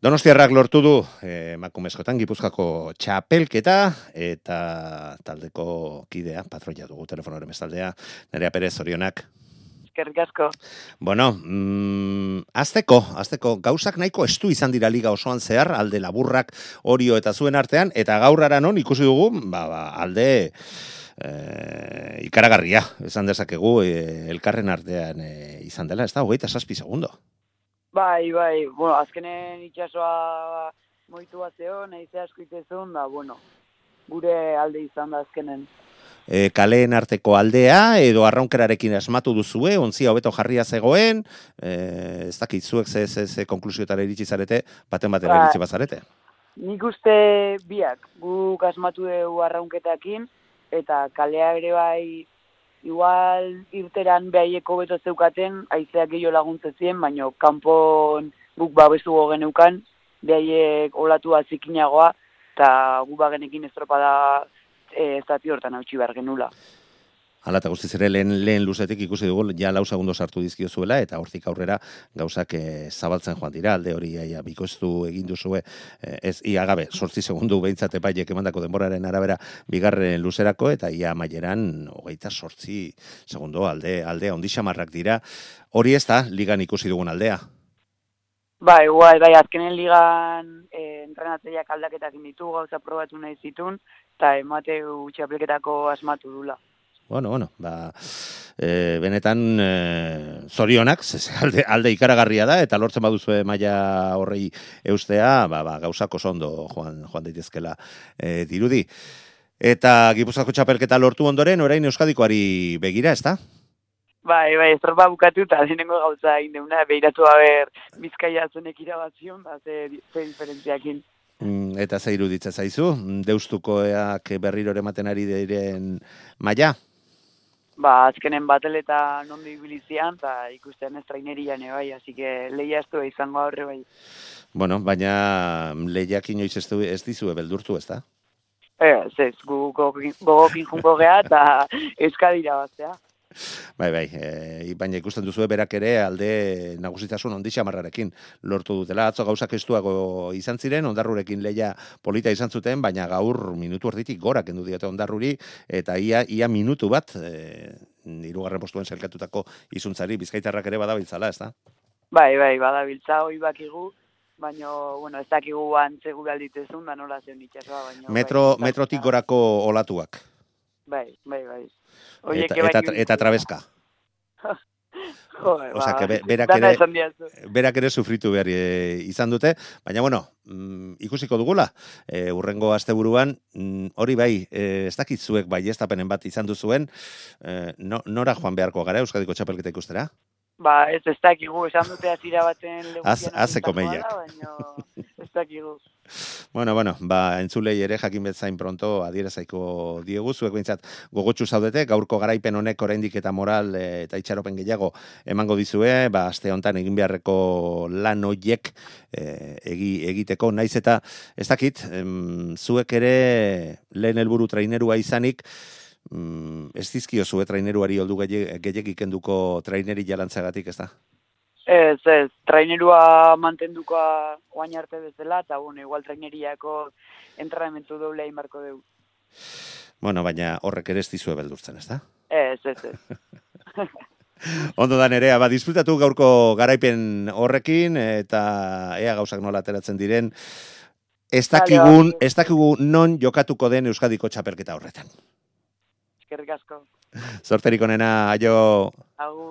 Donostiarrak lortu du emakumezkoetan Gipuzkoako txapelketa eta taldeko kidea, patroia dugu telefonoren bestaldea, Nerea Perez, zorionak. Eskerrik asko. Bueno, azteko gauzak nahiko estu izan dira liga osoan zehar, alde laburrak, Orio eta zuen artean, eta gaur non ikusi dugu, alde ikaragarria, esan dezakegu, elkarren artean izan dela, ez da, 27 segundo. Bai, bueno, azkenen itxasoa moitu bat zeon, nahize asko itezun, da, bueno, gure alde izan da azkenen. Kaleen arteko aldea, edo arraunkerarekin asmatu duzue, ontzia hobeto jarria zegoen, ez dakit zuek ze konklusiotara iritsi zarete, baten batera iritsi bazarete. Nik uste biak, guk asmatu dugu arraunketakin, eta kalea ere bai, igual irteran behaieko beto zeukaten, haizeak gehiago laguntzezien, baina kanpon guk babestu geneukan, behaiek olatua zikinagoa, eta gu bagenekin estropada zati hortan hautsi behar genula. Hala, eta guztiz ere lehen luzetik ikusi dugu, ja 4 segundo sartu dizkio zuela, eta hortik aurrera gauzak zabaltzen joan dira, alde hori bikoiztu egin duzue, ez ia gabe, 8 segundu behintzat epaiek emandako denboraren arabera bigarren luzerako, eta ia amaieran 28 segundo alde ondixamarrak dira, hori ez da, ligan ikusi dugun aldea. Bai, azkenen ligan entrenatzeiak aldaketak ditu, gauza probatu nahi zitun, eta emateu txapelketako asmatu dula. Bueno, benetan zorionak, alde ikaragarria da, eta lortzen baduzue maila horrei eustea, gauzak oso ondo joan daitezkela dirudi. Eta Gipuzkoako txapelketa lortu ondoren, orain Euskadikoari begira, ez da? Bai, estropa bukatu eta zenengo gauza indeuna, behiratu haber Bizkaia zenek irabazion, ze diferentziakin. Eta ze iruditzen zaizu, Deustukoak berriro ematen ari diren maila? Azkenen batel-eta nondi ibilizian, eta ikusten ez trainerian bai, así que lehia ez du izango horre bai. Bueno, baina lehiak inoiz ez dizue beldurtu, ez da? Ez, gogokin junko geha, eta Euskadira baztea. Bai, baina ikusten duzue berak ere alde nagusitasun ondixamarrarekin lortu dutela. Atzo gauzak estuago izan ziren, Ondarrurekin lehia polita izan zuten, baina gaur minutu erditik gora kendu diote Ondarruri, eta ia minutu bat, 3. postuen zelkatutako izuntzari, Bizkaitarrak ere badabiltzala, ez da? Bai, badabiltza, hoi bakigu, baina, ez dakigu antzegu galditezun, da nola zen itxasoa, baina... Metrotik gorako olatuak. Bai. Eta trabeska. Osea, berak ere sufritu behar izan dute, baina bueno, ikusiko dugula, urrengo asteburuan, hori bai, ez dakit zuek bai estapenen bat izan duzuen, nora joan beharko gara Euskadiko txapelketa ikustera? Ez dakigu, esan dute azira baten legutian azeko meiak. Baina ez dakigu. Bueno, entzulei ere jakin betzain pronto adierezaiko diegu, zuek behintzat gogotsu zaudete, gaurko garaipen honek oraindik eta moral eta itxaropen gehiago emango dizue, aste hontan egin beharreko lan hoiek egiteko, naiz eta ez dakit, zuek ere lehen helburu trainerua izanik, ez dizkio zue traineruari oldu gehiagik kenduko traineri jalantzagatik, ez da? Ez, trainerua mantendukoa oain arte bezala, eta igual traineriako entrenamentu doble egin barko dugu. Bueno, baina horrek ere ez dizue beldurtzen, ez da? Ez. Ondo da Nerea, disfrutatu gaurko garaipen horrekin, eta ea gauzak nola ateratzen diren, ez dakigu non jokatuko den Euskadiko txapelketa horretan. Eskerrik asko. Zorterik onena, aio. Agur.